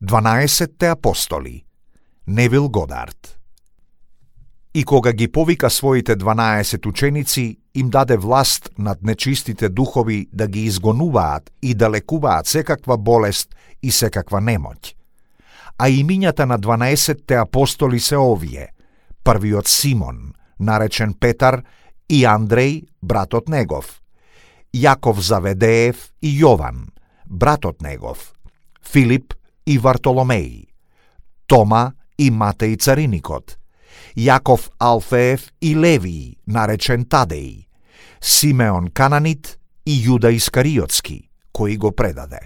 12 апостоли. Невил Годард. И кога ги повика своите 12 ученици, им даде власт над нечистите духови да ги изгонуваат и да лекуваат секаква болест и секаква немоќ. А имињата на 12 апостоли се овие: првиот Симон, наречен Петар, и Андреј, братот негов, Јаков Заведеев и Јован, братот негов, Филип и Вартоломеј, Тома и Матеј Цариникот, Јаков Алфеев и Левиј, наречен Тадеј, Симеон Кананит и Јуда Искариотски, кој го предаде.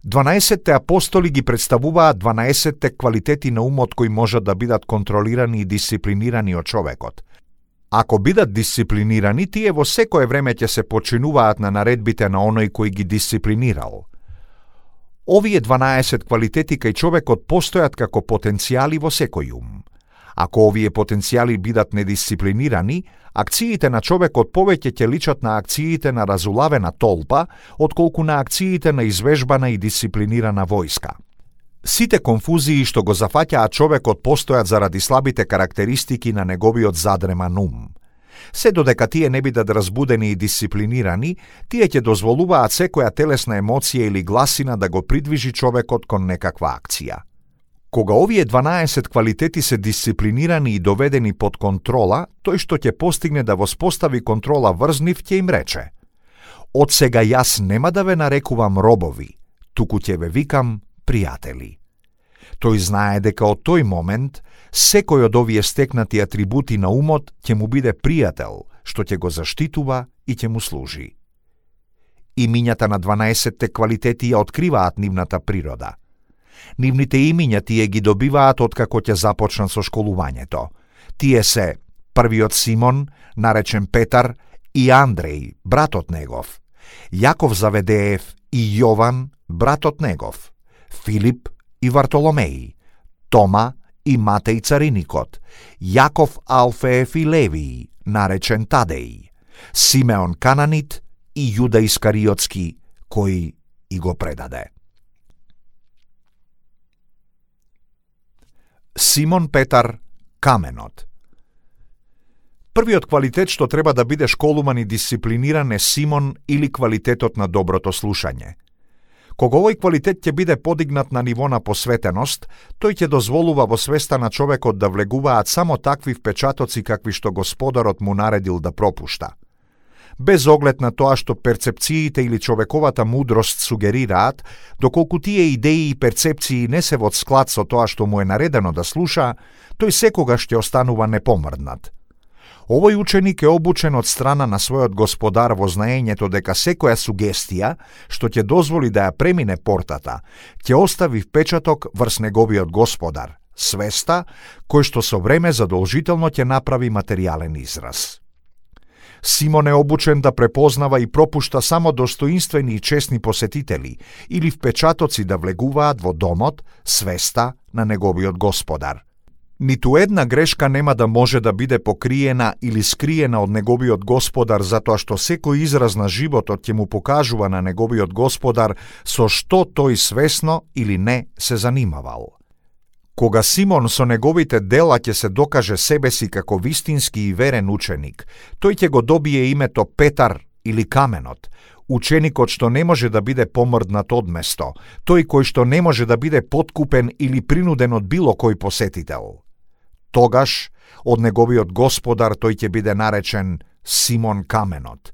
12 апостоли ги представуваат 12 квалитети на умот кои можат да бидат контролирани и дисциплинирани од човекот. Ако бидат дисциплинирани, тие во секое време ќе се починуваат на наредбите на оној кој ги дисциплинирал. Овие 12 квалитети кај човекот постојат како потенцијали во секој ум. Ако овие потенцијали бидат недисциплинирани, акциите на човекот повеќе ќе личат на акциите на разулавена толпа, отколку на акциите на извежбана и дисциплинирана војска. Сите конфузии што го зафаќаат човекот постојат заради слабите карактеристики на неговиот задреман ум. Се додека тие не бидат разбудени и дисциплинирани, тие ќе дозволуваат секоја телесна емоција или гласина да го придвижи човекот кон некаква акција. Кога овие 12 квалитети се дисциплинирани и доведени под контрола, тој што ќе постигне да воспостави контрола врз нив ќе им рече: од сега јас нема да ве нарекувам робови, туку ќе ве викам пријатели. Тој знае дека од тој момент секој од овие стекнати атрибути на умот ќе му биде пријател, што ќе го заштитува и ќе му служи. Имињата на 12 квалитети ја откриваат нивната природа. Нивните имиња тие ги добиваат откако ќе започнат со школувањето. Тие се првиот Симон, наречен Петар, и Андреј, братот негов, Јаков Заведеев и Јован, братот негов, Филип и Вартоломеј, Тома и Матеј Цариникот, Јаков Алфеев и Левиј, наречен Тадеј, Симеон Кананит и Јуда Искариотски, кој и го предаде. Симон Петар, каменот. Првиот квалитет што треба да биде школуман и дисциплиниран е Симон или квалитетот на доброто слушање. Кога овој квалитет ќе биде подигнат на ниво на посветеност, тој ќе дозволува во свеста на човекот да влегуваат само такви впечатоци какви што Господарот му наредил да пропушта. Без оглед на тоа што перцепциите или човековата мудрост сугерираат, доколку тие идеи и перцепции не се во склад со тоа што му е наредено да слуша, тој секогаш ќе останува непомрднат. Овој ученик е обучен од страна на својот Господар во знаењето дека секоја сугестија што ќе дозволи да ја премине портата, ќе остави впечаток врз неговиот Господар, свеста, кој што со време задолжително ќе направи материјален израз. Симон е обучен да препознава и пропушта само достоинствени и честни посетители или впечатоци да влегуваат во домот, свеста на неговиот Господар. Ниту една грешка нема да може да биде покриена или скриена од неговиот Господар, затоа што секој израз на животот ќе му покажува на неговиот Господар со што тој свесно или не се занимавал. Кога Симон со неговите дела ќе се докаже себе си како вистински и верен ученик, тој ќе го добие името Петар или каменот, ученикот што не може да биде помрднат од место, тој кој што не може да биде подкупен или принуден од било кој посетител. Тогаш, од неговиот Господар тој ќе биде наречен Симон каменот,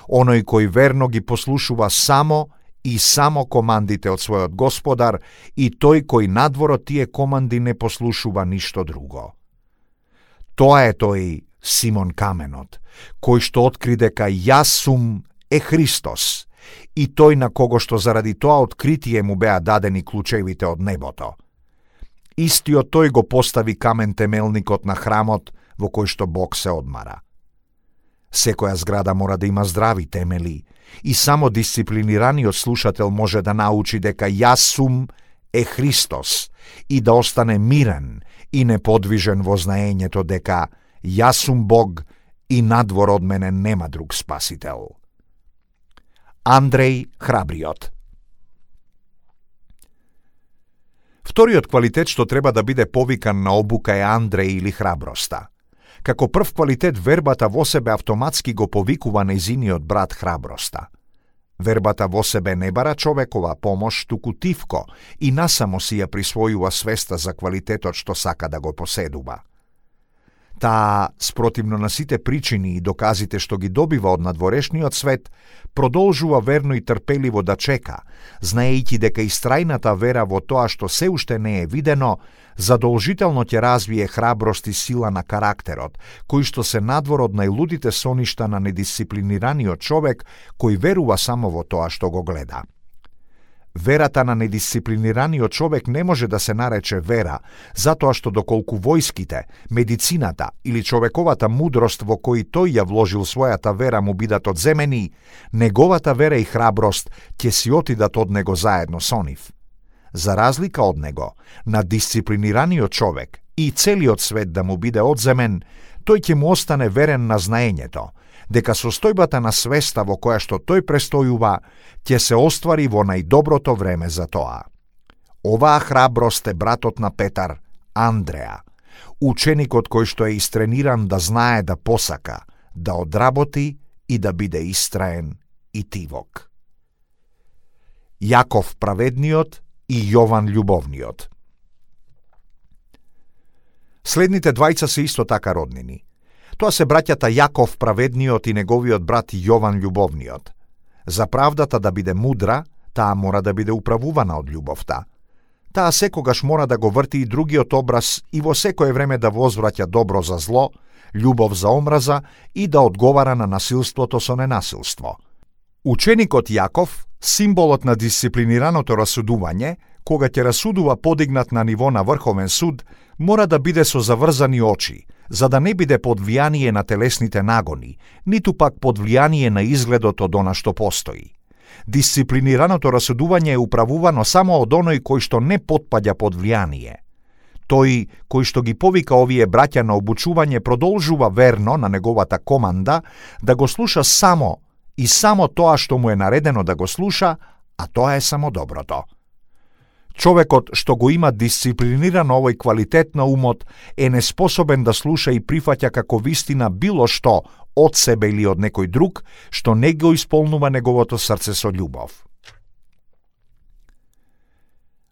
оној кој верно ги послушува само и само командите од својот Господар и тој кој надвор од тие команди не послушува ништо друго. Тоа е тој Симон каменот, кој што откри дека јас сум е Христос и тој на кого што заради тоа откритие му беа дадени клучевите од небото. Истиот тој го постави камен темелникот на храмот во кој што Бог се одмара. Секоја зграда мора да има здрави темели и само дисциплинираниот слушател може да научи дека јас сум е Христос и да остане мирен и неподвижен во знаењето дека јас сум Бог и надвор од мене нема друг спасител. Андреј храбриот. Вториот квалитет што треба да биде повикан на обука е Андреја или храброста. Како прв квалитет вербата во себе автоматски го повикува нејзиниот брат храброста. Вербата во себе не бара човекова помош, туку тивко и насамо си ја присвојува свеста за квалитетот што сака да го поседува. Таа, спротивно на сите причини и доказите што ги добива од надворешниот свет, продолжува верно и трпеливо да чека, знаејќи дека истрајната вера во тоа што се уште не е видено, задолжително ќе развие храброст и сила на карактерот, кои што се надвор од најлудите соништа на недисциплинираниот човек кој верува само во тоа што го гледа. Верата на недисциплинираниот човек не може да се нарече вера, затоа што доколку војските, медицината или човековата мудрост во кои тој ја вложил својата вера му бидат одземени, неговата вера и храброст ќе си отидат од него заедно со нив. За разлика од него, на дисциплинираниот човек и целиот свет да му биде одземен, тој ќе му остане верен на знаењето, дека состојбата на свеста во која што тој престојува ќе се оствари во најдоброто време за тоа. Оваа храброст е братот на Петар, Андреја, ученикот кој што е истрениран да знае да посака, да одработи и да биде истраен и тивок. Јаков праведниот и Јован љубовниот. Следните двајца се исто така роднини. Тоа се браќата Јаков праведниот и неговиот брат Јован љубовниот. За правдата да биде мудра, таа мора да биде управувана од љубовта. Таа секогаш мора да го врти и другиот образ и во секое време да возвраќа добро за зло, љубов за омраза и да одговара на насилството со ненасилство. Ученикот Јаков, символот на дисциплинираното расудување, кога ќе расудува подигнат на ниво на врховен суд, мора да биде со заврзани очи, за да не биде под влијание на телесните нагони, ниту пак под влијание на изгледот од она што постои. Дисциплинираното расудување е управувано само од оној кој што не потпаѓа под влијание. Тој кој што ги повика овие браќа на обучување продолжува верно на неговата команда да го слуша само и само тоа што му е наредено да го слуша, а тоа е само доброто. Човекот што го има дисциплиниран овој квалитет на умот е неспособен да слуша и прифаќа како вистина било што од себе или од некој друг што не го исполнува неговото срце со љубов.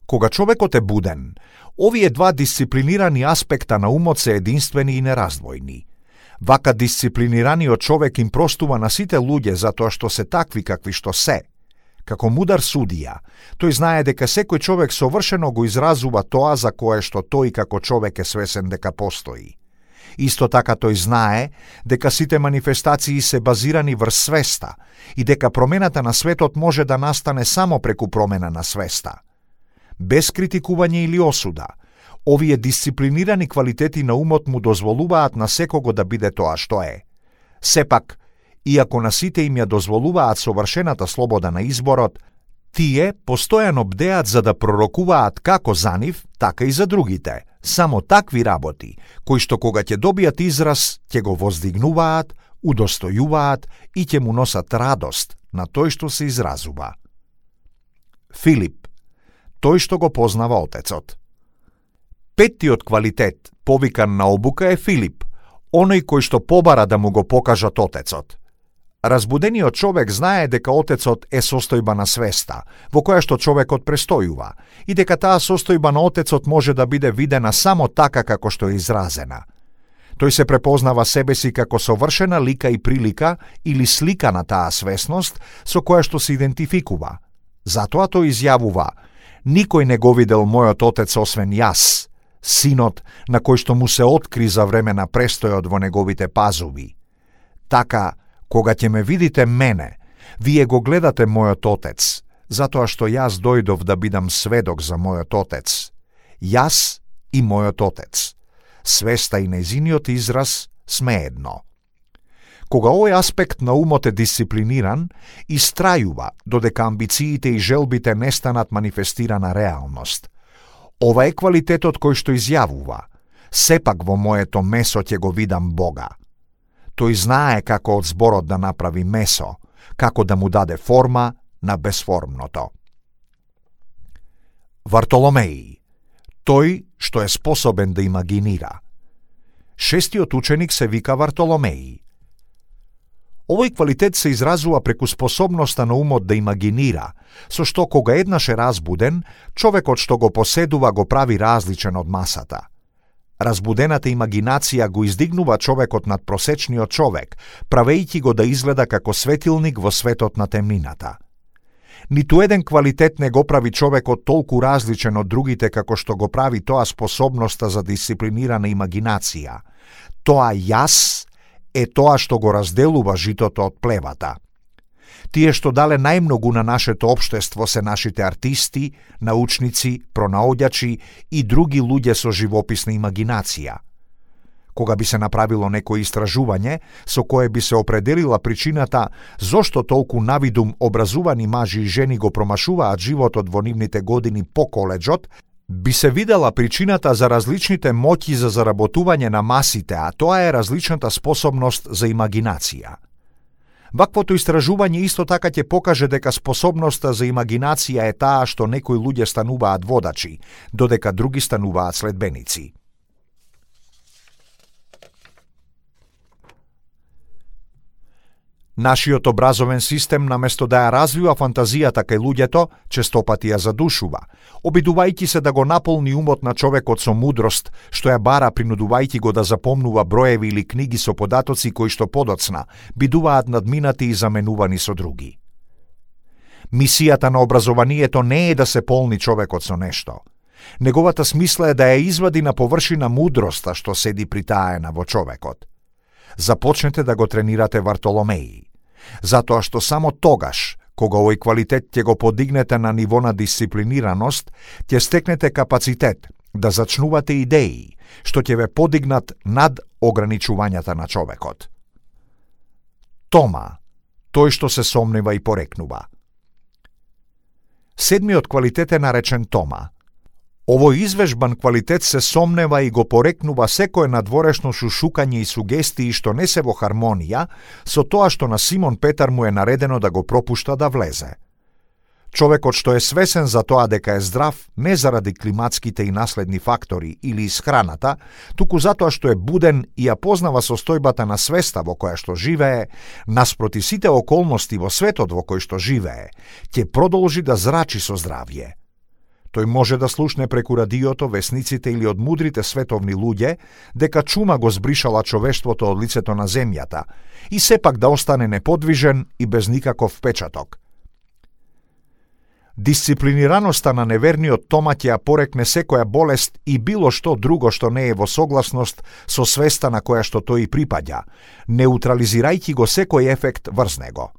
Кога човекот е буден, овие два дисциплинирани аспекта на умот се единствени и нераздвојни. Вака дисциплинираниот човек им простува на сите луѓе затоа што се такви какви што се. Како мудар судија, тој знае дека секој човек совршено го изразува тоа за кое што тој како човек е свесен дека постои. Исто така тој знае дека сите манифестации се базирани врз свеста и дека промената на светот може да настане само преку промена на свеста. Без критикување или осуда, овие дисциплинирани квалитети на умот му дозволуваат на секого да биде тоа што е. Сепак, иако на сите им ја дозволуваат совршената слобода на изборот, тие постојано бдеат за да пророкуваат како за нив, така и за другите, само такви работи, кои што кога ќе добијат израз, ќе го воздигнуваат, удостојуваат и ќе му носат радост на тој што се изразува. Филип, тој што го познава Отецот. Петтиот квалитет, повикан на обука, е Филип, оној кој што побара да му го покажат Отецот. Разбудениот човек знае дека Отецот е состојба на свеста, во која што човекот престојува, и дека таа состојба на Отецот може да биде видена само така како што е изразена. Тој се препознава себе си како совршена лика и прилика или слика на таа свесност со која што се идентификува. Затоа тој изјавува: никој не го видел мојот Отец освен јас, синот на кој што му се откри за време на престојот во неговите пазуви. Така, кога ќе ме видите мене, вие го гледате мојот Отец, затоа што јас дојдов да бидам сведок за мојот Отец. Јас и мојот Отец. Свеста и нејзиниот израз сме едно. Кога овој аспект на умот е дисциплиниран, истрајува додека амбициите и желбите не станат манифестирана реалност. Ова е квалитетот кој што изјавува: сепак во моето месо ќе го видам Бога. Тој знае како од зборот да направи месо, како да му даде форма на безформното. Вартоломеј, Тој што е способен да имагинира. Шестиот ученик се вика Вартоломеј. Овој квалитет се изразува преку способноста на умот да имагинира, со што кога еднаш е разбуден, човекот што го поседува го прави различен од масата. Разбудената имагинација го издигнува човекот над просечниот човек, правејќи го да изгледа како светилник во светот на темнината. Ниту еден квалитет не го прави човекот толку различен од другите како што го прави тоа способноста за дисциплинирана имагинација. Тоа јас е тоа што го разделува житото од плевата. Тие што дале најмногу на нашето општество се нашите артисти, научници, пронаоѓачи и други луѓе со живописна имагинација. Кога би се направило некој истражување со кое би се определила причината зошто толку навидум образувани мажи и жени го промашуваат животот во нивните години по коледжот, би се видела причината за различните моќи за заработување на масите, а тоа е различната способност за имагинација. Ваквото истражување исто така ќе покаже дека способноста за имагинација е таа што некои луѓе стануваат водачи, додека други стануваат следбеници. Нашиот образовен систем, наместо да ја развива фантазијата кај луѓето, честопати ја задушува, обидувајќи се да го наполни умот на човекот со мудрост, што ја бара принудувајќи го да запомнува броеви или книги со податоци кои што подоцна бидуваат надминати и заменувани со други. Мисијата на образованието не е да се полни човекот со нешто. Неговата смисла е да ја извади на површина мудроста што седи притаена во човекот. Започнете да го тренирате Вартоломеј, затоа што само тогаш, кога овој квалитет ќе го подигнете на ниво на дисциплинираност, ќе стекнете капацитет да зачнувате идеи, што ќе ве подигнат над ограничувањата на човекот. Тома, тој што се сомнева и порекнува. Седмиот квалитет е наречен Тома. Овој извежбан квалитет се сомнева и го порекнува секое надворешно шушукање и сугестии што не се во хармонија со тоа што на Симон Петар му е наредено да го пропушта да влезе. Човекот што е свесен за тоа дека е здрав не заради климатските и наследни фактори или исхраната, туку затоа што е буден и ја познава состојбата на свеста во која што живее, наспроти сите околности во светот во кој што живее, ќе продолжи да зрачи со здравје. Тој може да слушне преку радиото, весниците или од мудрите световни луѓе дека чума го збришала човештвото од лицето на земјата и сепак да остане неподвижен и без никаков впечаток. Дисциплинираноста на неверниот Тома ќе ја порекне секоја болест и било што друго што не е во согласност со свеста на која што тој припаѓа, неутрализирајќи го секој ефект врз него.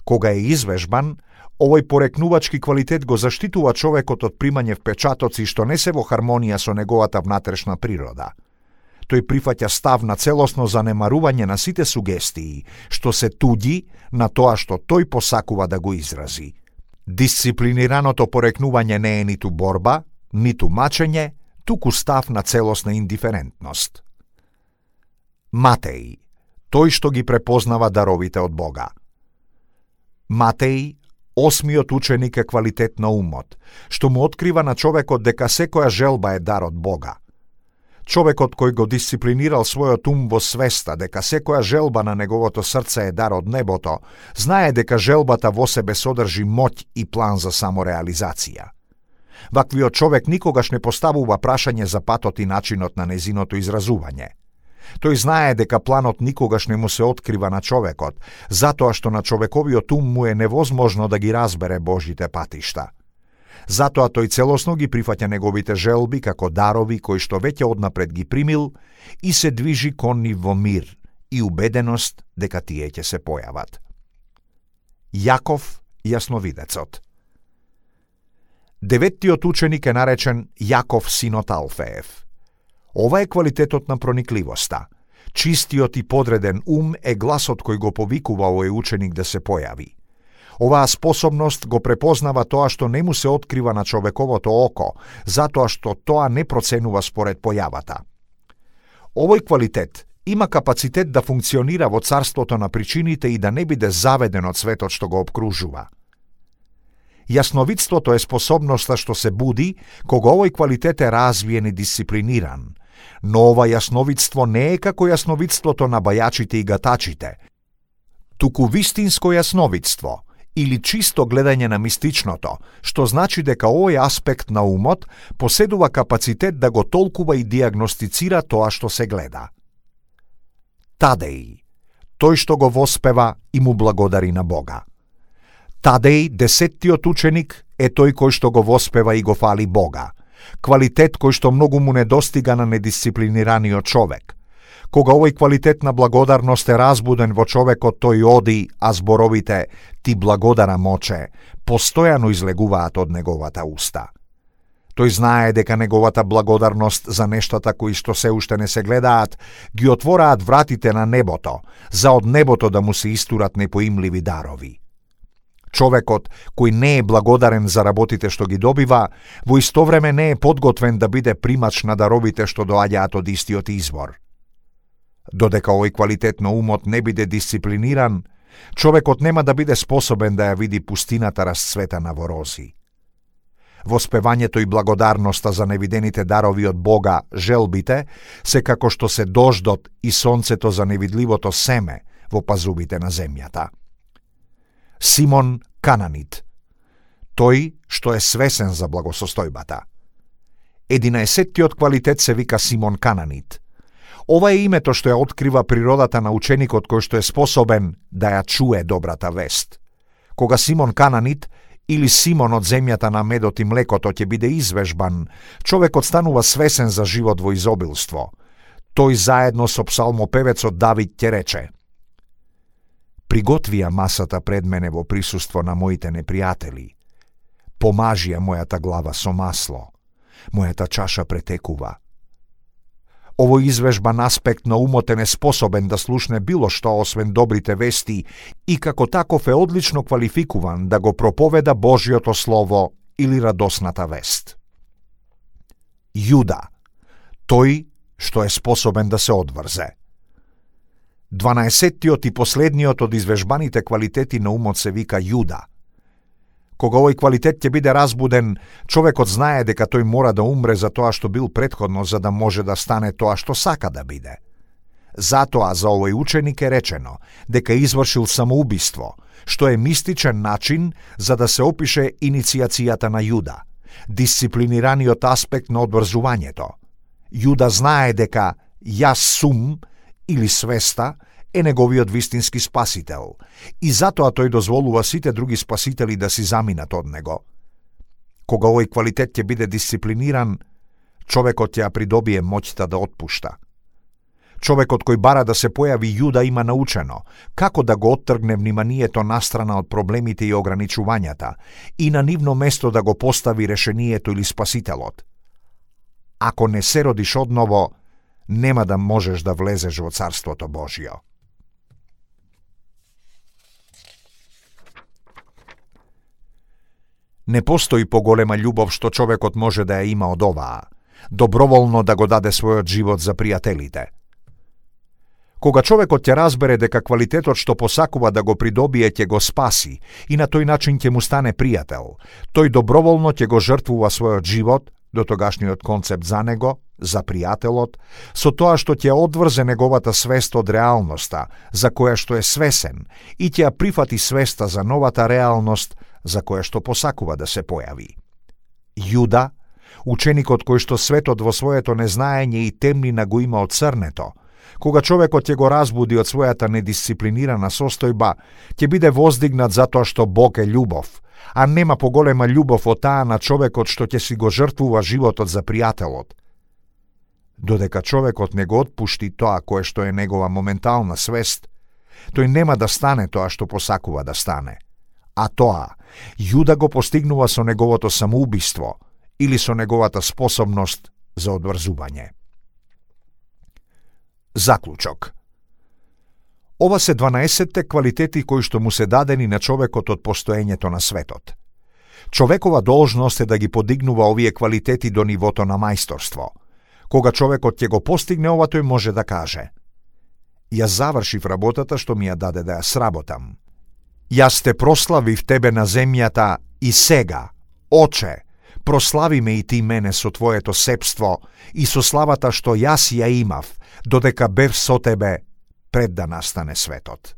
Кога е извежбан, овој порекнувачки квалитет го заштитува човекот од примање впечатоци што не се во хармонија со неговата внатрешна природа. Тој прифаќа став на целосно занемарување на сите сугестии, што се туѓи на тоа што тој посакува да го изрази. Дисциплинираното порекнување не е ниту борба, ниту мачење, туку став на целосна индиферентност. Матеј, тој што ги препознава даровите од Бога. Матеј, осмиот ученик е квалитет на умот, што му открива на човекот дека секоја желба е дар од Бога. Човекот кој го дисциплинирал својот ум во свеста дека секоја желба на неговото срце е дар од небото, знае дека желбата во себе содржи моќ и план за самореализација. Ваквиот човек никогаш не поставува прашање за патот и начинот на незиното изразување. Тој знае дека планот никогаш не му се открива на човекот, затоа што на човековиот ум му е невозможно да ги разбере Божите патишта. Затоа тој целосно ги прифаќа неговите желби како дарови кои што веќе однапред ги примил и се движи кон нив во мир и убеденост дека тие ќе се појават. Јаков, јасновидецот. Деветтиот ученик е наречен Јаков синот Алфеев. Ова е квалитетот на проникливоста. Чистиот и подреден ум е гласот кој го повикува овој ученик да се појави. Оваа способност го препознава тоа што не му се открива на човековото око, затоа што тоа не проценува според појавата. Овој квалитет има капацитет да функционира во царството на причините и да не биде заведен од светот што го обкружува. Јасновидството е способноста што се буди кога овој квалитет е развиен и дисциплиниран, но ова јасновидство не е како јасновидството на бајачите и гатачите, туку вистинско јасновидство или чисто гледање на мистичното, што значи дека овој аспект на умот поседува капацитет да го толкува и диагностицира тоа што се гледа. Тадеј, тој што го воспева и му благодари на Бога. Тадеј, 10-тиот ученик, е тој кој што го воспева и го фали Бога, квалитет кој што многу му недостига на недисциплинираниот човек. Кога овој квалитет на благодарност е разбуден во човекот, тој оди, а зборовите «Ти благодарам, Оче» постојано излегуваат од неговата уста. Тој знае дека неговата благодарност за нештата кои што се уште не се гледаат, ги отвораат вратите на небото, за од небото да му се истурат непоимливи дарови. Човекот кој не е благодарен за работите што ги добива, во исто време не е подготвен да биде примач на даровите што доаѓаат од истиот извор. Додека овој квалитет на умот не биде дисциплиниран, човекот нема да биде способен да ја види пустината расцветана во рози. Воспевањето и благодарноста за невидените дарови од Бога, желбите, се како што се дождот и сонцето за невидливото семе во пазубите на земјата. Симон Кананит, тој што е свесен за благосостојбата. 11-тиот квалитет се вика Симон Кананит. Ова е името што ја открива природата на ученикот кој што е способен да ја чуе добрата вест. Кога Симон Кананит или Симон од земјата на медот и млекото ќе биде извежбан, човекот станува свесен за живот во изобилство. Тој заедно со псалмопевецот Давид ќе рече: Приготвија масата пред мене во присуство на моите непријатели. Помажија мојата глава со масло. Мојата чаша претекува. Овој извежбан аспект на умот е неспособен да слушне било што освен добрите вести и како таков е одлично квалификуван да го проповеда Божјото Слово или радосната вест. Јуда, тој што е способен да се одврзе. 12-тиот и последниот од извежбаните квалитети на умот се вика Јуда. Кога овој квалитет ќе биде разбуден, човекот знае дека тој мора да умре за тоа што бил претходно, за да може да стане тоа што сака да биде. Затоа за овој ученик е речено дека извршил самоубиство, што е мистичен начин за да се опише иницијацијата на Јуда, дисциплинираниот аспект на одврзувањето. Јуда знае дека јас сум или свеста е неговиот вистински спасител и затоа тој дозволува сите други спасители да си заминат од него. Кога овој квалитет ќе биде дисциплиниран, човекот ќе ја придобие моќта да отпушта. Човекот кој бара да се појави Јуда има научено како да го оттргне вниманието настрана од проблемите и ограничувањата и на нивно место да го постави решението или спасителот. Ако не се родиш одново, нема да можеш да влезеш во Царството Божјо. Не постои поголема љубов што човекот може да ја има од оваа, доброволно да го даде својот живот за пријателите. Кога човекот ќе разбере дека квалитетот што посакува да го придобие ќе го спаси и на тој начин ќе му стане пријател, тој доброволно ќе го жртвува својот живот, до тогашниот концепт за него, за пријателот, со тоа што ќе одврзе неговата свест од реалноста, за која што е свесен, и ќе ја прифати свеста за новата реалност, за која што посакува да се појави. Јуда, ученикот кој што светот во своето незнаење и темнина го има од црнето, кога човекот ќе го разбуди од својата недисциплинирана состојба, ќе биде воздигнат затоа што Бог е љубов, а нема поголема љубов од таа на човекот што ќе си го жртвува животот за пријателот. Додека човекот не го отпушти тоа кое што е негова моментална свест, тој нема да стане тоа што посакува да стане. А тоа, Јуда го постигнува со неговото самоубиство или со неговата способност за одврзување. Заклучок. Ова се 12 квалитети кои што му се дадени на човекот од постоењето на светот. Човекова должност е да ги подигнува овие квалитети до нивото на мајсторство. Кога човекот ќе го постигне ова, тој може да каже: Јас завршив работата што ми ја даде да ја сработам. Јас те прославив тебе на земјата И сега, Оче, прослави ме и ти мене со Твоето сепство и со славата што јас ја имав, додека бев со Тебе пред да настане светот.